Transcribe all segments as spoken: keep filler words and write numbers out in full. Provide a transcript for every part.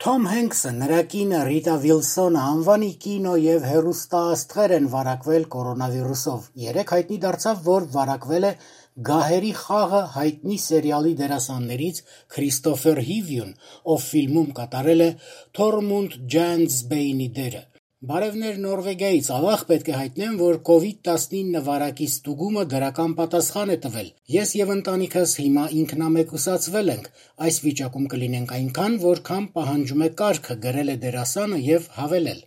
Թոմ Հենքսը, նրա կինը Ռիտա Վիլսոնը անվանի կինո և հեռուստաաստղեր են վարակվել կորոնավիրուսով։ Երեկ հայտնի դարձավ, որ վարակվել է «Գահերի խաղը» հայտնի սերիալի դերասաններից Քրիստոֆեր Հիվյուն, ով ֆիլմում կատարել է Թորմունդ Ջայընթսբեյնի դերը։ Բարևներ Նորվեգիայից, ավաղ պետք է հայտնեմ, որ կովիդ տասնինը վարակի ստուգումը դրական պատասխան է տվել։ Ես և ընտանիքս հիմա ինքնամեկուսացվել ենք, այս վիճակում կլինենք այնքան, որքան պահանջում է կարգը, գրել է դերասանը և հավելել.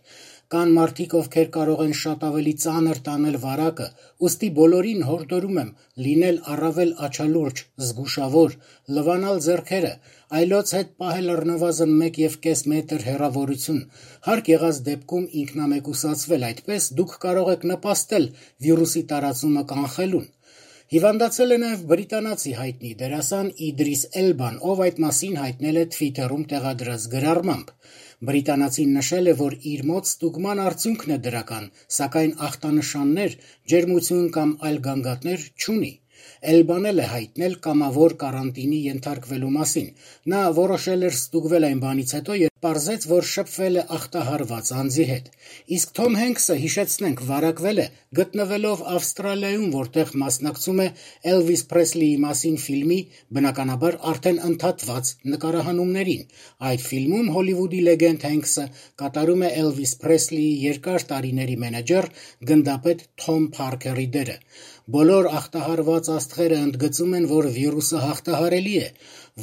Կան մարդիկ, ովքեր կարող են շատ ավելի ծանր տանել վարակը, ուստի բոլորին հորդորում եմ լինել առավել աչալուրջ, զգուշավոր, լվանալ ձեռքերը, այլոց հետ պահել առնվազն մեկ և կես մետր հեռավորություն, հարկ եղած դեպքում ինքնամեկուսացվել, այդպես դուք կարող եք նպաստել վիրուսի տարածումը կանխելուն։ Հիվանդացել է նաև բրիտանացի հայտնի դերասան Իդրիս Էլբան, ով այդ մասին հայտնել է Թվիթերում տեղադրած գրառմամբ։ Բրիտանացին նշել է, որ իր մոտ ստուգման արդյունքն է դրական, սակայն ախտանշաններ, ջերմություն կամ այլ գանգատներ չունի։ Էլբան էլ է հայտնել կամավոր կարանտինի ենթարկվելու մասին։ Նա որոշել էր ստուգվել այն բանից հետո, երբ պարզեց, որ շփվել է ախտահարված անձի հետ։ Իսկ Թոմ Հենքսը, հիշեցնենք, վարակվել է գտնվելով Ավստրալիայում, որտեղ մասնակցում է Էլվիս Փրեսլիի մասին ֆիլմի, բնականաբար արդեն ընդհատված նկարահանումներին։ Այդ ֆիլմում Հոլիվուդի լեգենդ Հենքսը կատարում է Էլվիս Փրեսլիի երկար տարիների մենեջեր, գնդապետ Թոմ Փարքերի դերը։ Բոլոր ախտահարված աստղերը ընդգծում են, որ վիրուսը հաղթահարելի է։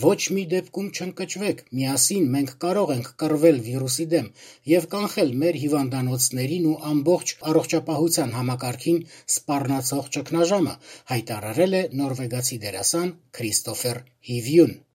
Ոչ մի դեպքում չընկճվեք, միասին մենք կարող ենք կռվել վիրուսի դեմ և կանխել մեր հիվանդանոցներին ու ամբողջ առողջապահության համակարգին սպառնացող ճգնաժամը, հայտարարել է նորվեգացի դերասան Քրիստոֆեր Հիվյուն։